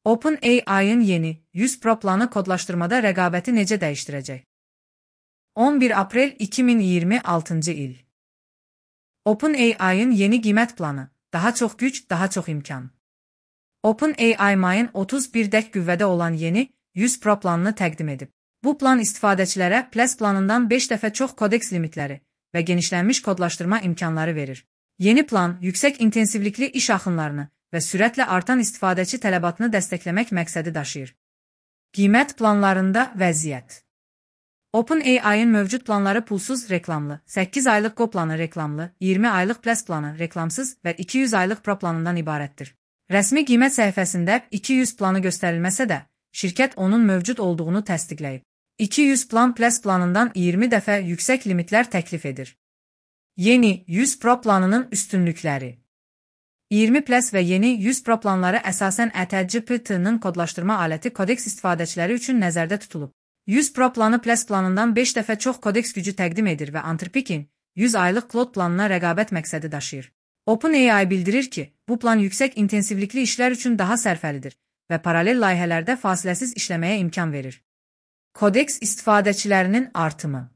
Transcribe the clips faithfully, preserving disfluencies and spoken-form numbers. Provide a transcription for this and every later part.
OpenAI'ın yeni yüz Pro planı kodlaştırmada rəqabəti necə dəyişdirəcək? on bir aprel iki min iyirmi altıncı il. OpenAI'ın yeni qiymət planı, daha çox güc, daha çox imkan. OpenAI mayın otuz bir dək qüvvədə olan yeni yüz Pro planını təqdim edib. Bu plan istifadəçilərə Plus planından beş dəfə çox kodeks limitləri və genişlənmiş kodlaşdırma imkanları verir. Yeni plan, yüksək intensivlikli iş axınlarını və sürətlə artan istifadəçi tələbatını dəstəkləmək məqsədi daşıyır. Qiymət planlarında vəziyyət. OpenAI'ın mövcud planları pulsuz reklamlı, səkkiz aylıq Go planı reklamlı, iyirmi aylıq Plus planı reklamsız və iki yüz aylıq Pro planından ibarətdir. Rəsmi qiymət səhifəsində iki yüz planı göstərilməsə də, şirkət onun mövcud olduğunu təsdiqləyib. iki yüz plan Plus planından iyirmi dəfə yüksək limitlər təklif edir. Yeni yüz Pro planının üstünlükləri. iyirmi Plus və yeni yüz Pro planları əsasən A T G P T-nin kodlaşdırma aləti kodeks istifadəçiləri üçün nəzərdə tutulub. yüz Pro planı Plus planından beş dəfə çox kodeks gücü təqdim edir və Anthropic'in yüz aylıq Claude planına rəqabət məqsədi daşıyır. OpenAI bildirir ki, bu plan yüksək intensivlikli işlər üçün daha sərfəlidir və paralel layihələrdə fasiləsiz işləməyə imkan verir. Kodeks istifadəçilərinin artımı.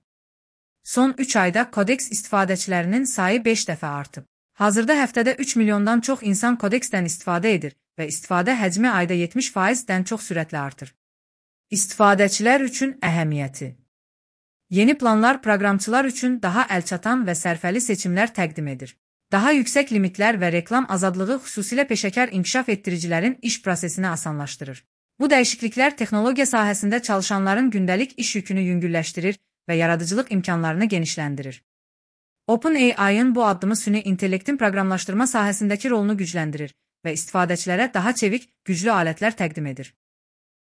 Son üç ayda kodeks istifadəçilərinin sayı beş dəfə artıb. Hazırda həftədə üç milyondan çox insan kodeksdən istifadə edir və istifadə həcmi ayda yetmiş faizdən çox sürətlə artır. İstifadəçilər üçün əhəmiyyəti. Yeni planlar proqramçılar üçün daha əlçatan və sərfəli seçimlər təqdim edir. Daha yüksək limitlər və reklam azadlığı xüsusilə peşəkar inkişaf etdiricilərin iş prosesini asanlaşdırır. Bu dəyişikliklər texnologiya sahəsində çalışanların gündəlik iş yükünü yüngülləşdirir və yaradıcılıq imkanlarını genişləndirir. OpenAI'ın bu addımı süni intellektin proqramlaşdırma sahəsindəki rolunu gücləndirir və istifadəçilərə daha çevik, güclü alətlər təqdim edir.